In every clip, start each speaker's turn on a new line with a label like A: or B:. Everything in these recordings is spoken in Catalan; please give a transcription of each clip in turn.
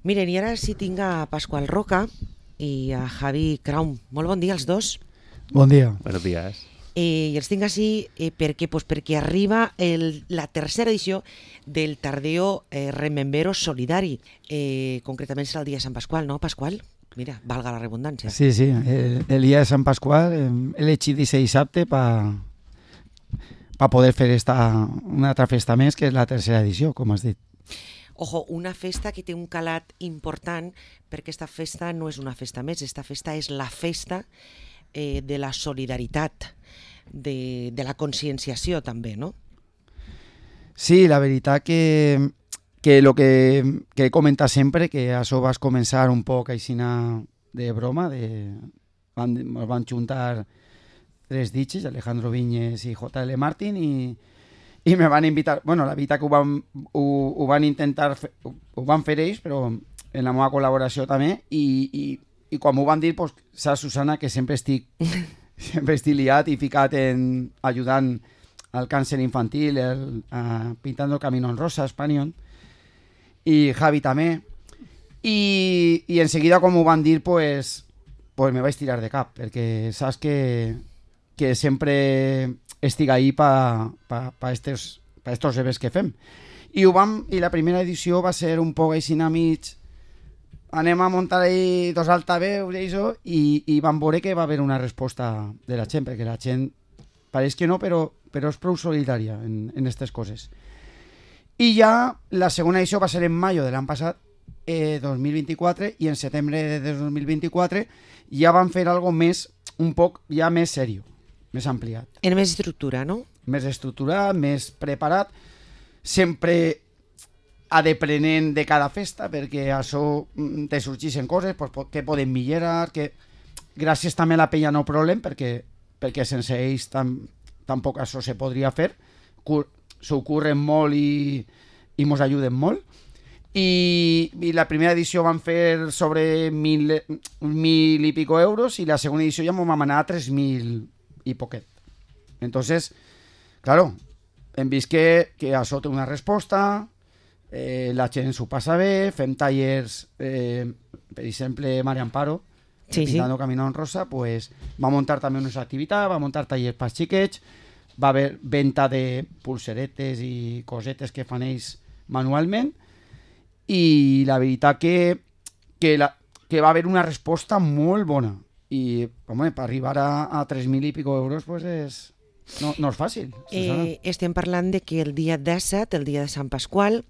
A: Miren, i ara sí tinc a Pasqual Roca i a Javi Kraum. Molt bon dia als dos.
B: Bon dia.
C: Buenos días.
A: I els tinc així perquè arriba la tercera edició del Tardeo Remembero Solidari. Concretament serà el dia de Sant Pasqual, no, Pasqual? Mira, valga la redundància.
B: Sí, el dia de Sant Pasqual he elegit aquest dissabte per poder fer una altra festa més, que és la tercera edició, com has dit.
A: Ojo, una festa que té un calat important, perquè esta festa no és una festa més, esta festa és la festa de la solidaritat, de la conscienciació també, no?
B: Sí, la veritat que el que he comentat sempre, que això vas començar un poc aixina de broma, ens van juntar tres ditxes, Alejandro Viñes i J.L. Martín, i me van invitar, bueno, la veritat que ho van intentar, ho van fer ells, però en la meva col·laboració també, i quan m'ho van dir, pues, saps, Susana, que sempre estic liat i ficat en ajudant al càncer infantil, pintando el camino en rosa, Espanyol, i Javi també, i enseguida quan m'ho van dir, pues me vaig tirar de cap, perquè saps que sempre estic ahí pa estos events que fem. I la primera edició va ser un poc així mig, anem a muntar ahí dos altaveus i vam veure que va haver una resposta de la gent, perquè la gent pareix que no, però és prou solidària en aquestes coses. I ja la segona edició va ser en maio de l'any passat, 2024, i en setembre de 2024 ja van fer algo més, un poc ja més seriós, més ampliat.
A: En més estructura, no?
B: Més estructurat, més preparat, sempre adeprenent de cada festa, perquè això te sorgeixen coses pues, que poden millorar, que gràcies també a la penya no problem, perquè sense ells tampoc això se podria fer, s'ho curren molt i mos ajuden molt. I la primera edició van fer sobre 1.000 i pico euros, i la segona edició ja m'ho vam anar a 3.000 i poquet. Entonces, claro, hem vist que això té una resposta, la gent s'ho passa bé, fem tallers, per exemple, Maria Amparo, Pintando Camino en Rosa, pues, va muntar també unes activitats, va muntar tallers per xiquets, va haver venda de pulseretes i cosetes que fan ells manualment, i la veritat que va haver una resposta molt bona. I home, per arribar a 3.000 i pico euros pues no és fàcil.
A: Estem parlant de que el dia 17, el dia de Sant Pasqual,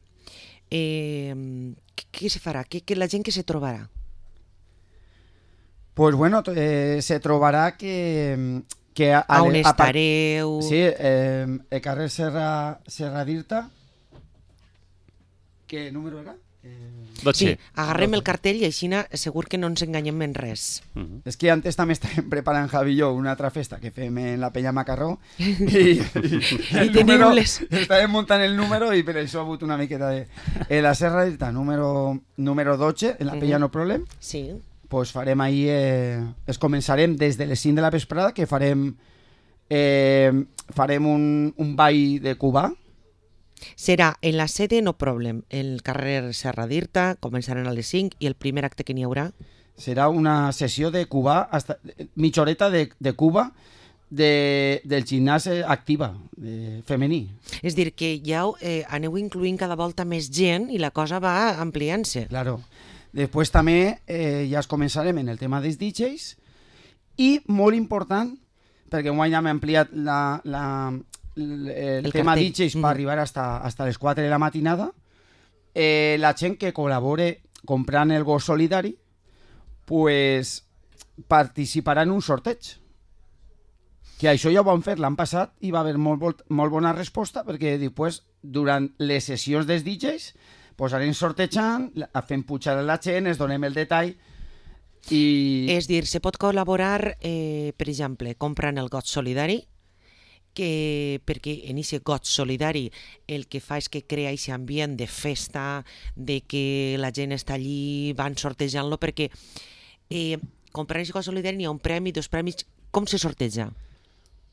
A: què se farà? La gent que se trobarà?
B: Pues bueno, se trobarà que
A: a on estareu?
B: Sí, el carrer Serra d'Irta. Què número era?
C: 12.
A: Sí, agarrem el cartell i així segur que no ens enganyem en res.
B: És que antes també estàvem preparant Javi i jo una altra festa que fem en la Penya Macarró i estàvem muntant el número i per això ha hagut una miqueta de la Serra d'Irta número 12 en la Penya No Problem.
A: Sí.
B: Pues farem ahí, començarem des de les 5 de la vesprada, que farem un ball de Cubà.
A: Serà en la sede No Problem, el carrer Serra d'Irta, començaran a les 5 i el primer acte que n'hi haurà?
B: Serà una sessió de Cubà, mitja horeta de Cuba, del gimnàs activa, femení.
A: És dir, que ja aneu incloent cada volta més gent i la cosa va ampliant-se.
B: Claro. Després també ja es començarem en el tema dels DJs i molt important, perquè un any hem ampliat el tema DJs per arribar hasta les 4 de la matinada, la gent que col·labore comprant el gos solidari pues participarà en un sorteig, que això ja ho vam fer l'any passat i va haver molt bona resposta, perquè després durant les sessions dels DJs pues anem sortejant, fem pujar a la gent, es donem el detall.
A: És dir, se pot col·laborar, per exemple, comprant el got solidari, perquè en aquest got solidari el que fa és que crea aquest ambient de festa, de que la gent està allí, van sortejant-lo, perquè comprant aquest got solidari n'hi ha un premi, 2 premis, com se sorteja?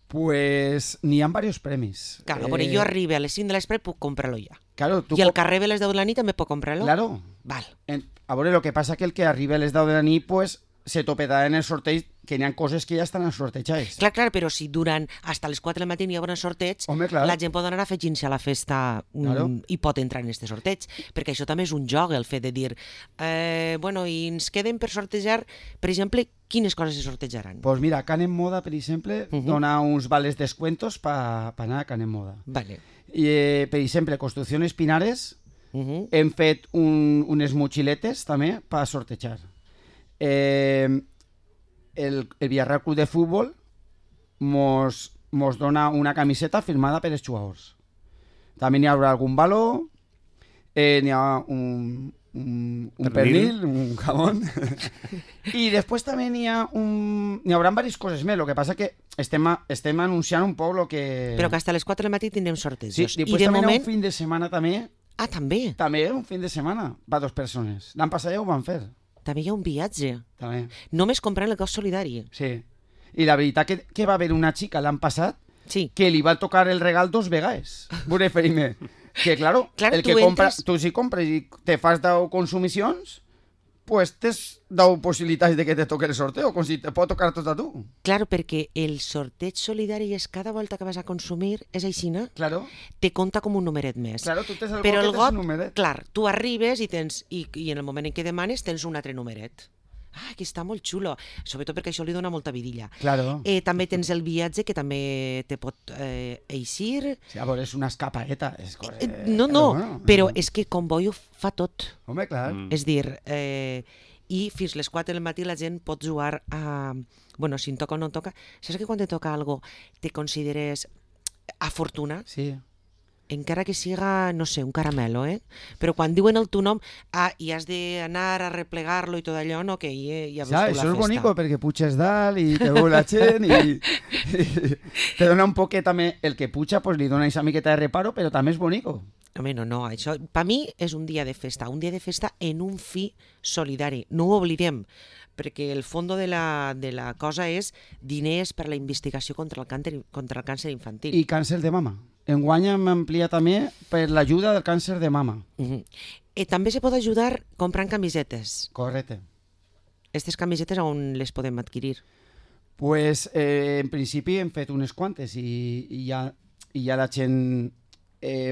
B: Pues n'hi ha diversos premis.
A: Claro, però jo arribo a les 5 de l'espre puc comprar-lo ja.
B: Claro,
A: I al carrer de les 10 de la nit també puc comprar-lo?
B: Claro.
A: Val.
B: A veure, el que passa que el que arriba a les 10 de la nit, pues, se topedarà en el sorteig, que n'hi ha coses que ja estan sortejades.
A: Clar, però si duran fins les 4 del matí hi haurà un sorteig,
B: Home, clar.
A: la gent pot anar afegint-se a la festa i pot entrar en aquest sorteig, perquè això també és un joc, el fet de dir i ens queden per sortejar, per exemple, quines coses se sortejaran?
B: Pues mira, Canem Moda, per exemple, dona uns vales descuentos per anar a Canem Moda.
A: Vale.
B: I, per exemple, Construcciones Pinares, hem fet unes motxiletes també per sortejar. El Villarreal Club de Futbol mos dona una camiseta firmada per els jugadors. També n'hi haurà algun baló, n'hi ha un pernil, un jamón. I després també n'hi haurà diverses coses més. El que passa que estem anunciant un poc el que...
A: Però que fins a les 4 del matí tindrem sortejos.
B: Sí, després també hi ha un fin de setmana també.
A: Ah, també?
B: També un fin de setmana per 2 persones. L'any passat ja ho van fer.
A: També hi ha un viatge.
B: També.
A: Només comprant el cos solidari.
B: Sí. I la veritat que va haver una xica l'any passat que li va tocar el regal 2 vegades. Veure, Ferime. Que, claro, el que compras, tu si compres i te fas 10 consumicions, pues tens 10 possibilitats de que te toque el sorteo, com si te pot tocar tot a tu.
A: Claro, perquè el sorteig solidari és cada volta que vas a consumir, és així, no?
B: Claro.
A: Te compta com un numeret més.
B: Claro, tu tens el
A: però
B: got que tens un numeret.
A: Clar, tu arribes i en el moment en què demanes tens un altre numeret. Ah, que està molt xulo, sobretot perquè això li dona molta vidilla.
B: Claro.
A: També tens el viatge, que també te pot eixir.
B: Sí, a veure, és una escapaeta.
A: No, però és que Convoy ho fa tot.
B: Home, clar.
A: És dir, i fins les 4 del matí la gent pot jugar a... Bueno, si em toca o no em toca. Saps que quan te toca algo te consideres afortunat?
B: Sí.
A: Encara que siga, no sé, un caramelo, però quan diuen el teu nom i has d'anar a replegar-lo i tot allò, no, que ja veus tu la festa.
B: Això és bonico, perquè puges dalt i te veu la gent i te dona un poquet també, el que puja pues, li dona aquesta miqueta de reparo, però també és bonico.
A: Home, no, això per mi és un dia de festa en un fi solidari, no ho oblidem, perquè el fons de la cosa és diners per a la investigació contra el càncer infantil.
B: I càncer de mama. Enguany hem ampliat també per l'ajuda del càncer de mama.
A: També se pot ajudar comprant camisetes.
B: Correcte.
A: Aquestes camisetes on les podem adquirir?
B: Pues, en principi hem fet unes quantes i ja la gent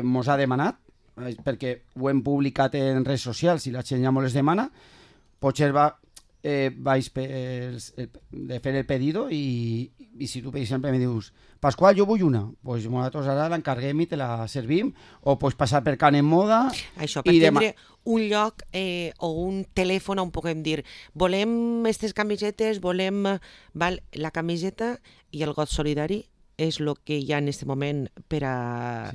B: mos ha demanat, perquè ho hem publicat en redes socials i la gent ja mos les demana, potser vaig de fer el pedido i si tu, per exemple, me dius Pasqual, jo vull una, doncs nosaltres ara l'encarguem i te la servim, o pots passar per Canem Moda.
A: Això, per tindre un lloc o un telèfon on puguem dir volem aquestes camisetes, volem... La camiseta i el got solidari és el que hi ha en aquest moment per a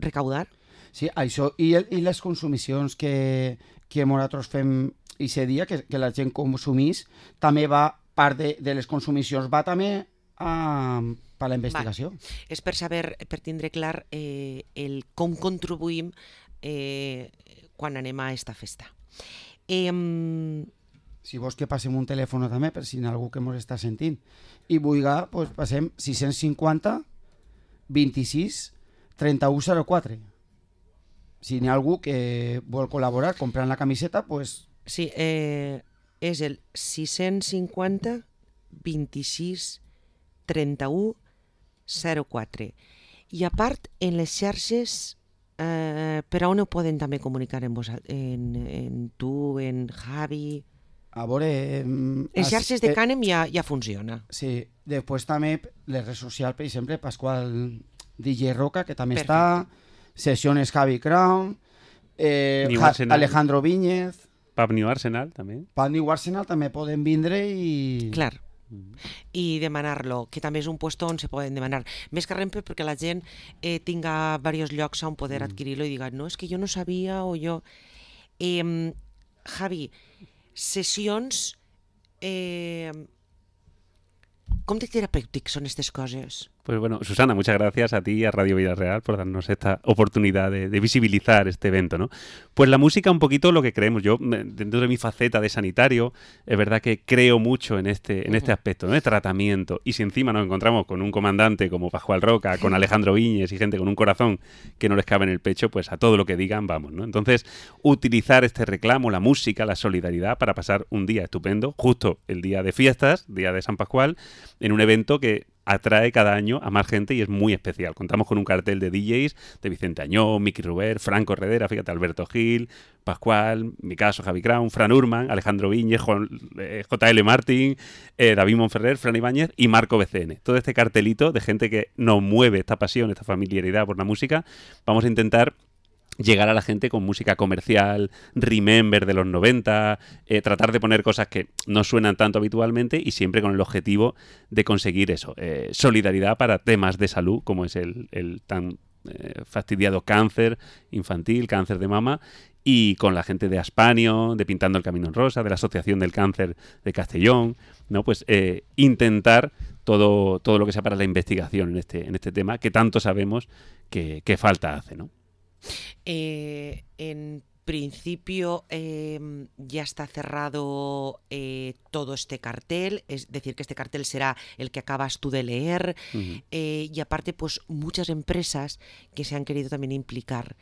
A: recaudar.
B: Sí, això, i les consumicions que nosaltres fem aquest dia, que la gent consumís, també va, part de les consumicions, va també per la investigació.
A: És per saber, per tindre clar com contribuïm quan anem a aquesta festa.
B: Si vols que passem un telèfon també, per si hi ha algú que ens està sentint, i vulga, doncs passem 650 26 31 04. Si hi ha algú que vol col·laborar comprant la camiseta, doncs...
A: Sí, és el 650 26 31 04. I a part, en les xarxes, per on ho poden també comunicar en tu, en Javi?
B: A veure...
A: En xarxes de Canem ja funciona.
B: Sí, després també les redes socials, per exemple, Pasqual DJ Roca, que també està, Sessiones Javi Crown, Alejandro Viñez...
C: Pub New Arsenal, també.
B: Pub New Arsenal també poden vindre i...
A: Clar. I demanar-lo, que també és un puesto on se poden demanar. Més que res perquè la gent tinga diversos llocs on poder adquirir-lo i diga, no, és que jo no sabia o jo... Javi, sessions... Com de terapèutics són aquestes coses?
C: Pues bueno, Susana, muchas gracias a ti y a Radio Vida Real por darnos esta oportunidad de visibilizar este evento, ¿no? Pues la música un poquito lo que creemos. Yo, dentro de mi faceta de sanitario, es verdad que creo mucho en este aspecto, ¿no? De tratamiento. Y si encima nos encontramos con un comandante como Pascual Roca, con Alejandro Viñes y gente con un corazón que no les cabe en el pecho, pues a todo lo que digan vamos, ¿no? Entonces, utilizar este reclamo, la música, la solidaridad para pasar un día estupendo, justo el día de fiestas, día de San Pascual, en un evento que atrae cada año a más gente y es muy especial. Contamos con un cartel de DJs de Vicente Añón, Miki Ruber, Franco Redera, fíjate, Alberto Gil, Pascual, mi caso, Javi Crown, Fran Urman, Alejandro Viñes, JL Martín, David Monferrer, Fran Ibáñez y Marco BCN. Todo este cartelito de gente que nos mueve esta pasión, esta familiaridad por la música. Vamos a intentar llegar a la gente con música comercial, remember de los 90, tratar de poner cosas que no suenan tanto habitualmente y siempre con el objetivo de conseguir eso, solidaridad para temas de salud como es el tan fastidiado cáncer infantil, cáncer de mama, y con la gente de Aspanio, de Pintando el Camino en Rosa, de la Asociación del Cáncer de Castellón, ¿no? Pues intentar todo lo que sea para la investigación en este tema que tanto sabemos que falta hace, ¿no?
A: En principio ya está cerrado todo este cartel, es decir, que este cartel será el que acabas tú de leer. Y aparte, pues muchas empresas que se han querido también implicar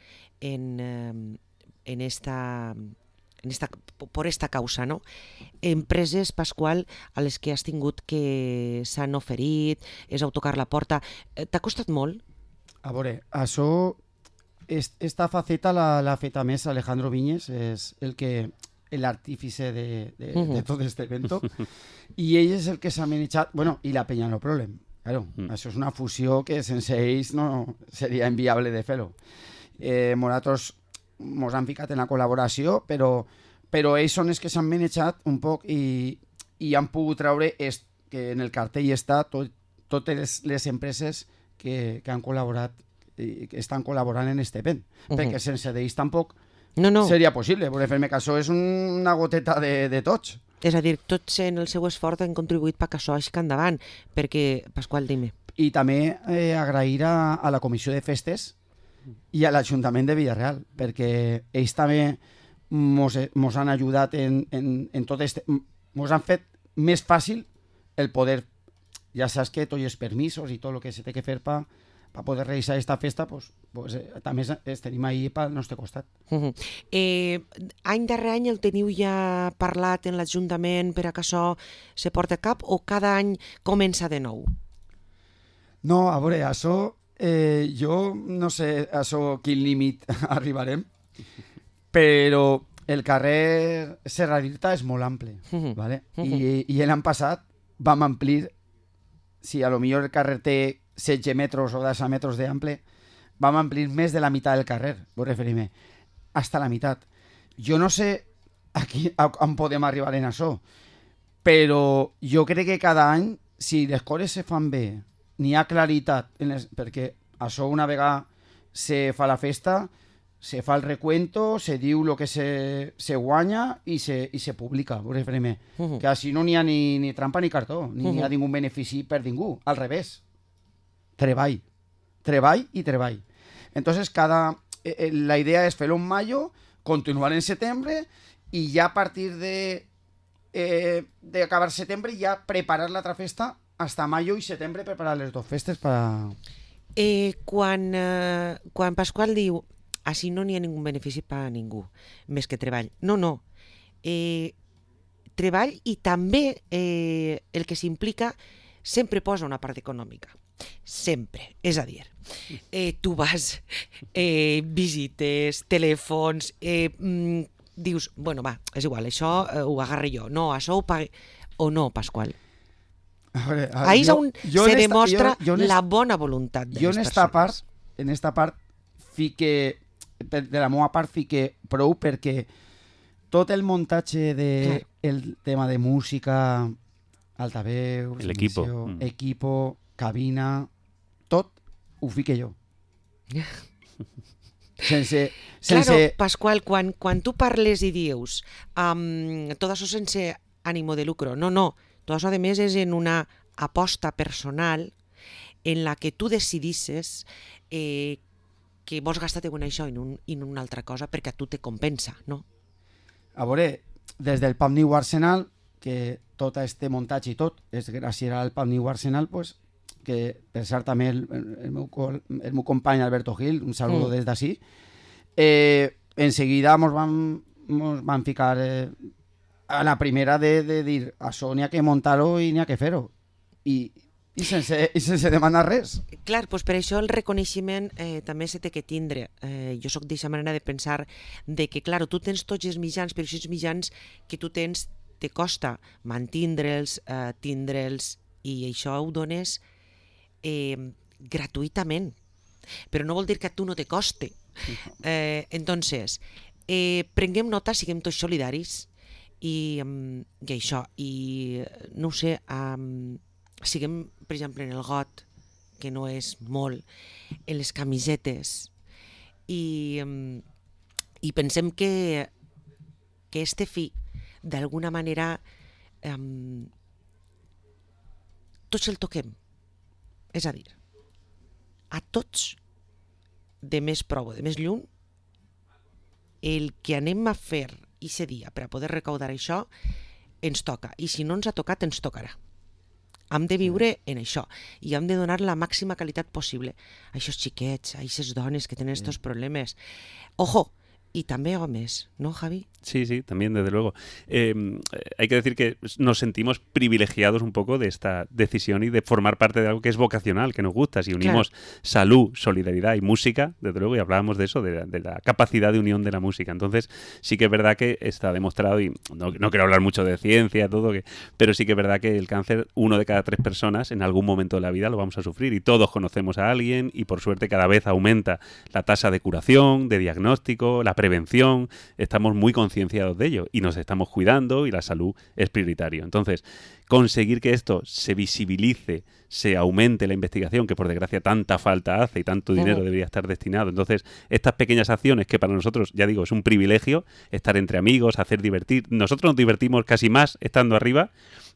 A: por esta causa, no? Empreses, Pasqual, a les que has tingut que s'han oferit, és a tocar la porta. T'ha costat molt?
B: A veure, això... Esta faceta l'ha fet a més Alejandro Viñes, és l'artífice de tot este evento, i ell és el que s'ha manejat, bueno, i la Peña No Problem. Claro, això és una fusió que sense ells no seria inviable de fer-ho. Nosaltres mos han ficat en la col·laboració, però ells són els que s'han manejat un poc i han pogut treure que en el cartell està totes les empreses que han col·laborat i que estan col·laborant en este event, perquè sense d'ells tampoc seria possible, perquè fer-me que això és una goteta de tots.
A: És a dir, tots en el seu esforç han contribuït perquè això així endavant, perquè, Pasqual, dime.
B: I també agrair a la Comissió de Festes i a l'Ajuntament de Villarreal, perquè ells també mos han ajudat en tot este... Mos han fet més fàcil el poder... Ja saps que tots els permisos i tot el que se té que fer per poder realitzar aquesta festa, també tenim ahí pel nostre costat.
A: Any darrere any el teniu ja parlat en l'Ajuntament per a que això se porti a cap o cada any comença de nou?
B: No, a veure, això jo no sé quin límit arribarem, però el carrer Serra d'Irta és molt ample, ¿vale? I l'any passat vam amplir, si a lo millor el carrer té 16 metres o 10 metres d'ample, vam amplir més de la meitat del carrer, vull referir-me, hasta la meitat. Jo no sé on podem arribar en això, però jo crec que cada any, si les coses se fan bé, n'hi ha claritat, perquè això una vegada se fa la festa, se fa el recuento, se diu el que se guanya i se publica, vull referir-me, que així no n'hi ha ni trampa ni cartó, ni hi ha ningú benefici per ningú, al revés. Treball i treball. Entonces, la idea es fer-lo en mayo, continuar en setembre y ya a partir de acabar setembre ya preparar la otra festa hasta mayo y setembre, preparar les dos festes para...
A: Quan Pasqual diu així no n'hi ha ningú benefici per a ningú, més que treball. No. Treball i també el que s'implica sempre posa una part econòmica. Sempre. És a dir, tu vas, visites, telèfons, dius, bueno, va, és igual, això ho agarre jo. No, això ho pague... O no, Pasqual? Ahí és on se demostra la bona voluntat de les persones.
B: En esta part fique, de la meva part fique prou, perquè tot el muntatge del tema de música, altaveus, equipo, cabina, tot ho fique jo.
A: Claro, Pasqual, quan tu parles i dius tot això sense ànimo de lucro, no, tot això a més és en una aposta personal en la que tu decidisses que vols gastar-te en això i en una altra cosa perquè a tu te compensa, no?
B: A veure, des del Pub New Arsenal, que tot este muntatge i tot és gràcies al Pub New Arsenal, pues, que per cert també el meu company Alberto Gil, un saludo des d'ací, enseguida mos van ficar a la primera de dir això n'hi ha que muntar-ho i n'hi ha que fer-ho. I sense demanar res.
A: Clar, doncs per això el reconeixement també se té que tindre. Jo sóc d'aquesta manera de pensar de que, clar, tu tens tots els mitjans, però aquests mitjans que tu tens te costa mantindre'ls, tindre'ls, i això ho dones gratuïtament. Però no vol dir que a tu no te coste. Entonces, prenguem nota, siguem tots solidaris i això, i no ho sé, siguem, per exemple, en el got, que no és molt, en les camisetes, i pensem que este fi, d'alguna manera, tots el toquem. És a dir, a tots, de més prou o de més lluny, el que anem a fer aquest dia per a poder recaudar això ens toca, i si no ens ha tocat ens tocarà. Hem de viure en això i hem de donar la màxima qualitat possible a aquests xiquets, a aquestes dones que tenen estos problemes. Ojo, y también hombres, ¿no, Javi?
C: Sí, sí, también, desde luego. Hay que decir que nos sentimos privilegiados un poco de esta decisión y de formar parte de algo que es vocacional, que nos gusta. Si unimos salud, solidaridad y música, desde luego, y hablábamos de eso, de la capacidad de unión de la música. Entonces, sí que es verdad que está demostrado, y no quiero hablar mucho de ciencia, pero sí que es verdad que el cáncer, 1 de cada 3 personas en algún momento de la vida lo vamos a sufrir, y todos conocemos a alguien, y por suerte cada vez aumenta la tasa de curación, de diagnóstico, la prevención. Estamos muy concienciados de ello y nos estamos cuidando, y la salud es prioritario. Entonces, conseguir que esto se visibilice, se aumente la investigación, que por desgracia tanta falta hace y tanto dinero debería estar destinado. Entonces, estas pequeñas acciones que para nosotros, ya digo, es un privilegio, estar entre amigos, hacer divertir. Nosotros nos divertimos casi más estando arriba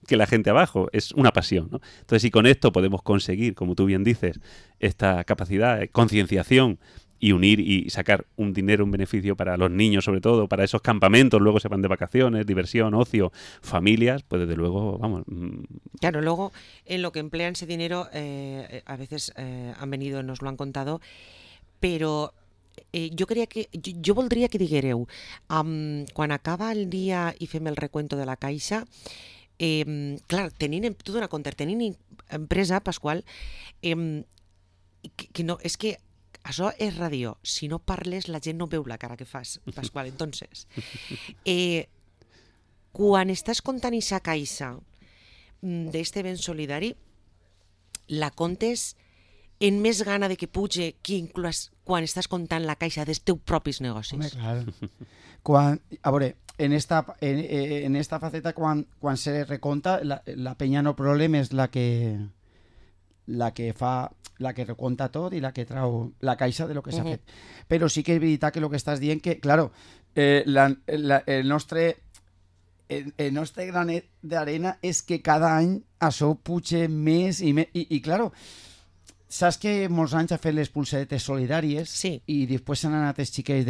C: que la gente abajo. Es una pasión, ¿no? Entonces, si con esto podemos conseguir, como tú bien dices, esta capacidad de concienciación y unir y sacar un dinero, un beneficio para los niños, sobre todo, para esos campamentos, luego se van de vacaciones, diversión, ocio, familias, pues desde luego, vamos.
A: Claro, luego en lo que emplean ese dinero, a veces han venido, nos lo han contado, pero jo voldria que diguéreu, quan acaba el dia i fem el recuento de la caixa, clar, tu dona compte, tenint empresa, Pasqual, que no, és que això és ràdio. Si no parles, la gent no veu la cara que fas, Pasqual. Entonces, quan estàs comptant aquesta caixa d'este ben solidari, la comptes en més gana de que puge que inclús quan estàs comptant la caixa dels teus propis negocis.
B: Home, clar. A veure, en esta faceta, quan se reconta, la penya no problema és la que reconta tot i la que trau la caixa de lo que s'ha fet. Però sí que és veritat que el que estàs dient que, claro, el nostre granet d'arena és que cada any això puja més i més. I claro, saps que molts anys ha fet les pulseretes solidàries i després s'han anat els xiquets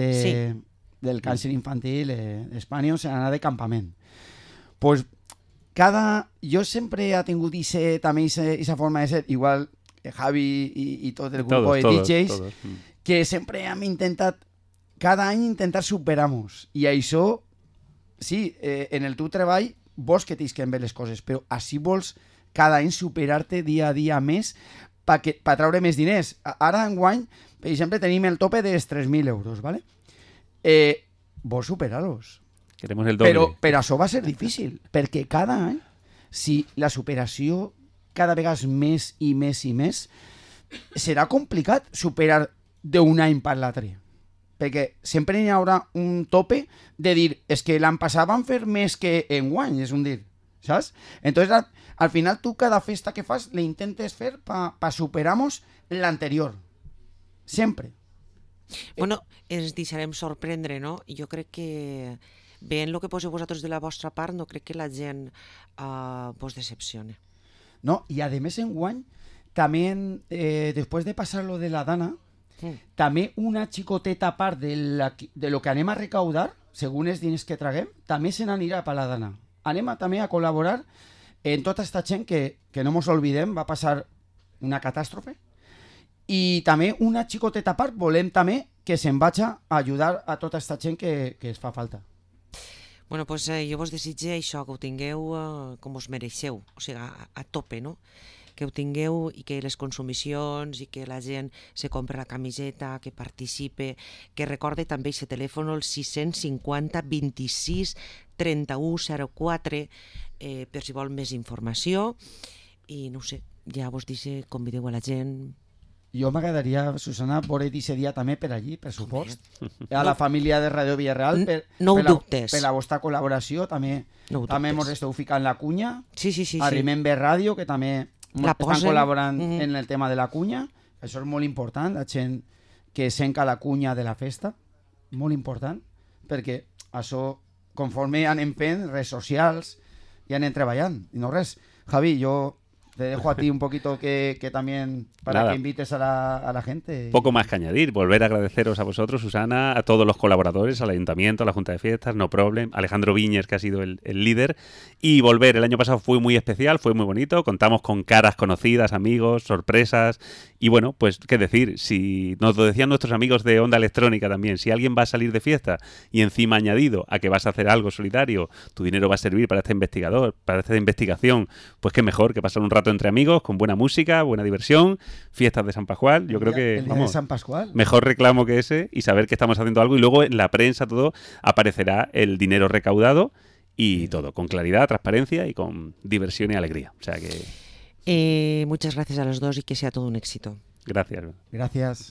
B: del càncer infantil d'Espanya, s'han anat de campament. Pues jo sempre he tingut també aquesta forma de ser, igual Javi i tot el grup de DJs, que sempre hem intentat cada any intentar superar-nos, i això sí, en el teu treball vols que t'isquen bé les coses, però així vols cada any superar-te dia a dia més per treure més diners. Ara enguany, per exemple, tenim el tope dels 3.000 euros, ¿vale? Vols superar-los.
C: Queremos el doble.
B: Però això va ser difícil, perquè cada any, si la superació cada vegada més i més i més, serà complicat superar d'un any per l'altre. Perquè sempre hi haurà un tope de dir, és que l'any passat van fer més que enguany, és un dir, saps? Entonces, al final, tu cada festa que fas l'intentes fer per superar-nos l'anterior. Sempre.
A: Bueno, ens deixarem sorprendre, no? Jo crec que veient el que poseu vosaltres de la vostra part, no crec que la gent vos decepcione.
B: No, i a més enguany también, después de pasar lo de la Dana, també una xicoteta part de lo que anem a recaudar, según els diners que traguem, també se n'anirà per la Dana. Anem també a col·laborar en tota esta gent que no mos olvidem, va passar una catàstrofe, i també una xicoteta part volem també que se'n vagi a ajudar a tota esta gent que es fa falta.
A: Bueno, pues jo vos desitge això, que ho tingueu com us mereixeu, o sigui, a tope, no? Que ho tingueu i que les consumicions i que la gent se compra la camiseta, que participe, que recorde també aquest telèfon, el 650 26 31 04, per si vol més informació. I no ho sé, ja vos dice, convideu a la gent.
B: Jo m'agradaria, Susana, veure aquest dia també per allí, per supost. A la família de Ràdio Villarreal,
A: no ho dubtes.
B: Per la vostra col·laboració, també mos esteu ficant la cunya.
A: Sí.
B: Arribem bé ràdio, que també estan col·laborant en el tema de la cunya. Això és molt important, la gent que senca la cunya de la festa. Molt important, perquè això, conforme anem fent, redes socials, i anem treballant. I no res. Javi, yo te dejo a ti un poquito que también para que invites a la gente.
C: Poco más que añadir. Volver a agradeceros a vosotros, Susana, a todos los colaboradores, al Ayuntamiento, a la Junta de Fiestas, No Problem, Alejandro Viñes, que ha sido el líder. Y volver, el año pasado fue muy especial, fue muy bonito. Contamos con caras conocidas, amigos, sorpresas. Y bueno, pues qué decir, si nos lo decían nuestros amigos de Onda Electrónica también, si alguien va a salir de fiesta y encima añadido a que vas a hacer algo solidario, tu dinero va a servir para esta investigación, pues qué mejor que pasar un rato entre amigos, con buena música, buena diversión, fiestas de San Pascual. Yo creo que
B: el día de San Pascual.
C: Mejor reclamo que ese, y saber que estamos haciendo algo, y luego en la prensa todo aparecerá el dinero recaudado y todo, con claridad, transparencia y con diversión y alegría. O sea que...
A: muchas gracias a los dos y que sea todo un éxito.
C: Gracias.
B: Gracias.